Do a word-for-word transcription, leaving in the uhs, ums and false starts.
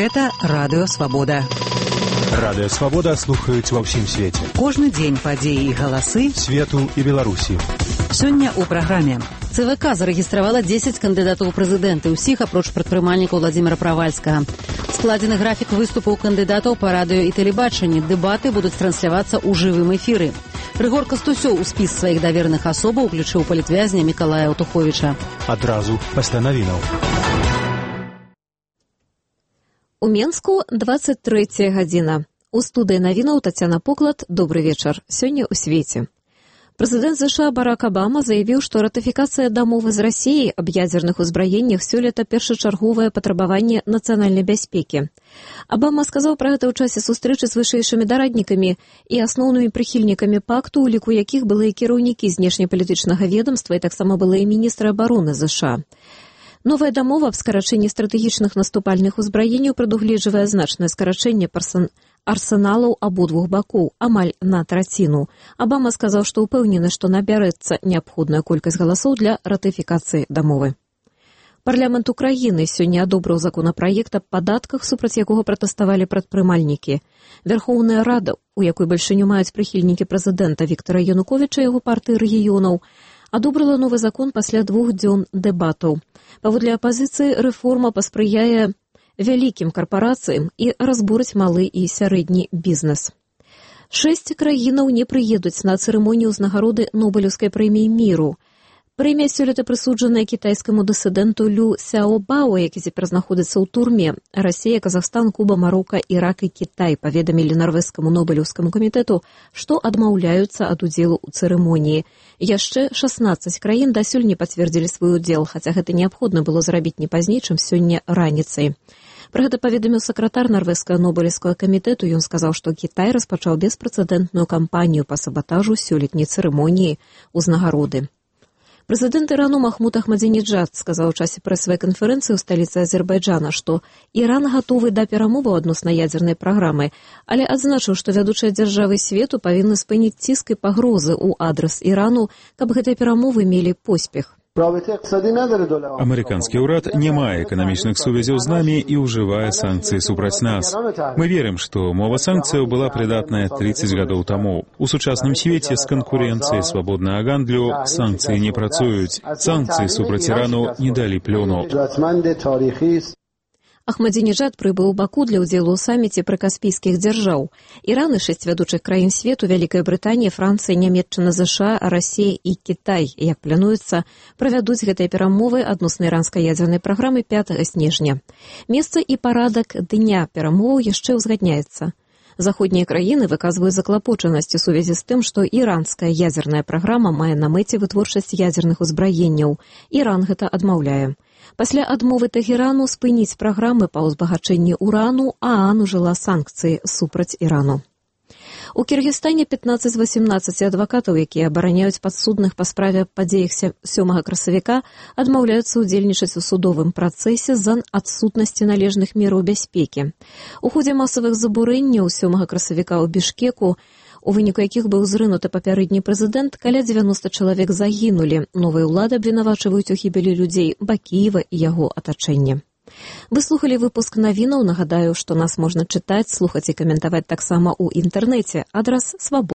Гэта Радыё Свабода. Радыё Свабода слухаюць ва ўсім свеце. Кожны дзень падзеі і галасы свету і Беларусі. Сёння ў праграме. ЦВК зарэгістравала дзесяць кандыдатаў у прэзідэнты, усіх апроч прадпрымальніка Владзіміра Правальскага. Складзены графік выступаў кандыдатаў па радыё і тэлебачанні. Дэбаты будуць транслявацца ў жывым эфіры. Рыгор Кастусёў у спіс сваіх давераных асобаў уключыў палітвязня Мікалая Аўтуховіча. Адразу пасля навінаў. У Менску двадцать третья гадзіна. У студыі навінаў Тацяна Поклад. Добры вечар. Сёння ў свеце. Прэзідэнт ЗША Барак Абама заявіў, што ратыфікацыя дамовы з Расіяй аб ядзерных узбраеннях сёлета першачарговае патрабаванне нацыянальнай бяспекі. Абама сказаў пра гэта ў часе сустрэчы з вышэйшымі дараднікамі і асноўнымі прыхільнікамі пакту, у ліку якіх былыя кіраўнікі знешнепалітычнага ведамства і таксама былыя міністры абароны ЗША. Новая дамова аб скарачэнні стратэгічных наступальных узбраенняў прадугледжвае значнае скарачэнне арсеналаў абодвух бакоў, амаль на траціну. Абама сказаў, што ўпэўнены, што набярэцца неабходная колькасць галасоў для ратыфікацыі дамовы. Парламент Украіны сёння адобрыў законапраект аб падатках, супраць якога пратэставалі прадпрымальнікі. Вярхоўная рада, у якой бальшыню маюць прыхільнікі прэзідэнта Віктара Януковіча і яго партыі рэгіёнаў, адобрала новы закон пасля двух дзён дэбатаў. Паводле апазіцыі, рэформа паспрыяе вялікім карпарацыям і разбурыць малы і сярэдні бізнес. Шэсць краінаў не прыедуць на цырымонію ўзнагароды Нобелеўскай прэміі міру. Прэмія сёлета прысуджаная кітайскаму дысідэнту Лю Сяобао, які цяпер знаходзіцца ў турме. Расія, Казахстан, Куба, Марока, Ірак і Кітай паведамілі нарвежскаму Нобелеўскаму камітэту, што адмаўляюцца ад удзелу ў цырымоніі. Яшчэ шаснаццаць краін дасюль не пацвердзілі свой удзел, хаця гэта неабходна было зрабіць не пазней, чым сёння раніцай. Пра гэта паведаміў сакратар нарвежскага Нобелеўскага камітэту. Ён сказаў, што Кітай распачаў беспрэцэдэнтную кампанію па сабатажу сёлетняй цырымоніі ўзнагароды. Прэзідэнт Ірану Махмуд Ахмадзінеджад сказаў у часе прэсавай канферэнцыі ў сталіцы Азербайджана, што Іран гатовы да перамоваў адносна ядзернай праграмы, але адзначыў, што вядучыя дзяржавы свету павінны спыніць ціск і пагрозы ў адрас Ірану, каб гэтыя перамовы мелі поспех. Амерыканскі ўрад не мае эканамічных сувязяў з намі і ўжывае санкцыі супраць нас. Мы верым, што мова санкцыяў была прыдатная тридцать гадоў таму. У сучасным свеце з канкурэнцыяй свабоднага гандлю санкцыі не працуюць. Санкцыі супраць Ірану не далі плёну. Ахмадзінеджад прыбыў у Баку для ўдзелу ў саміце прыкаспійскіх дзяржаў. Іран і шэсць вядучых краін свету, Вялікая Брытанія, Францыя, Нямецчына, ЗША, Расія і Кітай, як плануецца, правядуць гэтыя перамовы адносна іранскай ядзернай праграмы пятага снежня. Месца і парадак дня перамоваў яшчэ ўзгадняецца. Заходнія краіны выказваюць заклапочанасць у сувязі з тым, што іранская ядзерная праграма мае на мэце вытворчасць ядзерных узбраенняў. Іран гэта адмаўляе. Пасля адмовы Тэгерану спыніць праграмы па ўзбагачэнні урану, ААН ужыла санкцыі супраць Ірану. У Кіргізстане пятнаццаць з васемнаццаці адвакатаў, якія абараняюць падсудных па справе падзеях сёмага красавіка, адмаўляюцца ўдзельнічаць у судовым працэсе з-за адсутнасці належных мераў бяспекі. У ходзе масавых забурэнняў сёмага красавіка ў Бішкеку, у выніку якіх быў зрынуты папярэдні прэзідэнт, каля дзевяноста чалавек загінулі. Новыя ўлады абвінавачваюць у гібелі людзей Бакіева і яго атачэння. Вы слухалі выпуск навінаў. Нагадаю, што нас можна чытаць, слухаць і каментаваць таксама ў інтэрнэце. Адрас свабода.